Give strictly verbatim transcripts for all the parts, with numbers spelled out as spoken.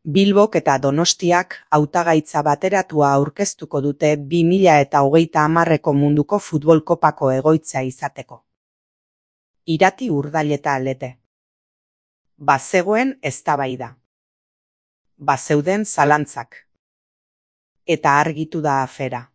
Bilbok eta Donostiak hautagaitza bateratua aurkeztuko dute bi mila eta hogeita hamarreko munduko futbol kopako egoitza izateko. Irati Urdaileta Lete. Bazegoen eztabaida. Bazeuden zalantzak. Eta argitu da afera.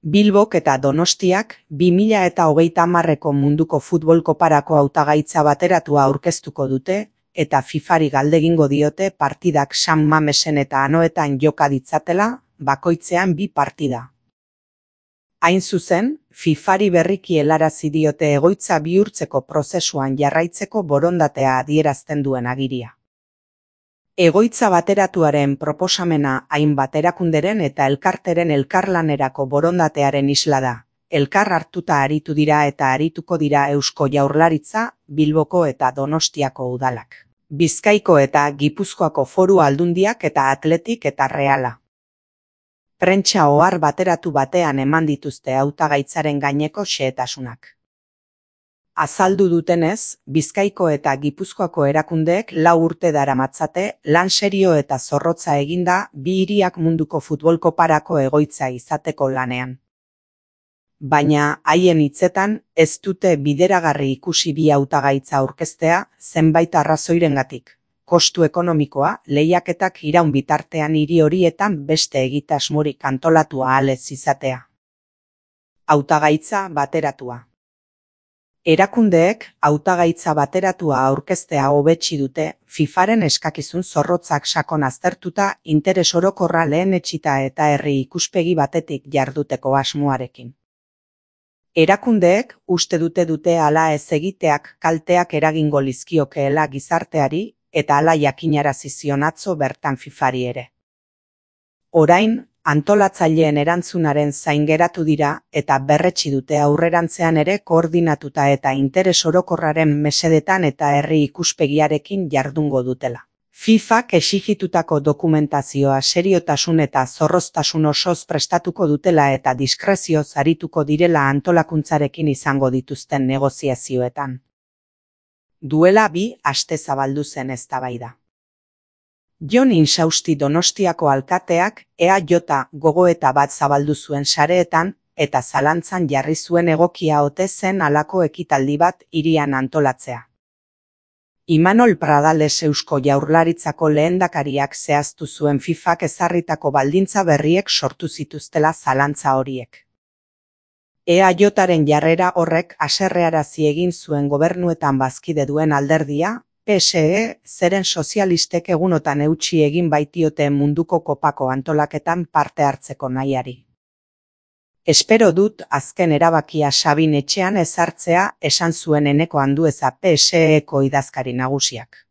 Bilbok eta Donostiak bi mila eta hogeita hamarreko munduko futbol koparako hautagaitza bateratua aurkeztuko dute, eta fifari galdegingo diote partidak San Mamesen eta Anoetan joka ditzatela, bakoitzean bi partida. Hain zuzen, fifari berriki helarazi diote egoitza bihurtzeko prozesuan jarraitzeko borondatea adierazten duen agiria. Egoitza bateratuaren proposamena hainbat erakunderen eta elkarteren elkarlanerako borondatearen isla da. Elkar hartuta aritu dira eta arituko dira Eusko Jaurlaritza, Bilboko eta Donostiako udalak. Bizkaiko eta Gipuzkoako foru aldundiak eta Atletik eta Reala. Prentsa ohar bateratu batean eman dituzte hautagaitzaren gaineko xehetasunak. Azaldu dutenez, Bizkaiko eta Gipuzkoako erakundeek lau urte daramatzate lan serio eta zorrotza eginda bi hiriak munduko futbol koparako egoitza izateko lanean. Baina haien hitzetan ez dute bideragarri ikusi bi hautagaitza aurkeztea zenbait arrazoirengatik. Kostu ekonomikoa, lehiaketak iraun bitartean hiri horietan beste egitasmorik antolatu ahal ez izatea. Hautagaitza bateratua. Erakundeek hautagaitza bateratua aurkeztea hobetsi dute, fifaren eskakizun zorrotzak sakon aztertuta interes orokorra lehenetsita eta herri ikuspegi batetik jarduteko asmoarekin. Erakundeek uste dute dute hala ez egiteak kalteak eragingo lizkiokeela gizarteari eta hala jakinarazi zion atzo bertan fifari ere. Orain, antolatzaileen erantzunaren zain geratu dira eta berretsi dute aurrerantzean ere koordinatuta eta interes orokorraren mesedetan eta herri ikuspegiarekin jardungo dutela. fifak exigitutako dokumentazioa seriotasun eta zorroztasun osoz prestatuko dutela eta diskrezioz arituko direla antolakuntzarekin izango dituzten negoziazioetan. Duela bi aste zabaldu zen eztabaida. Jon Insausti Donostiako alkateak E A J gogoeta bat zabaldu zuen sareetan eta zalantzan jarri zuen egokia ote zen halako ekitaldi bat hirian antolatzea. Imanol Pradales Eusko Jaurlaritzako lehendakariak zehaztu zuen fifak ezarritako baldintza berriek sortu zituztela zalantza horiek. E A Jaren jarrera horrek haserrearazi egin zuen gobernuetan bazkide duen alderdia, P S E, zeren sozialistek egunotan eutsi egin baitiote munduko kopako antolaketan parte hartzeko nahiari. Espero dut azken erabakia Sabin etxean ezartzea esan zuen Eneko Andueza P S Eko idazkari nagusiak.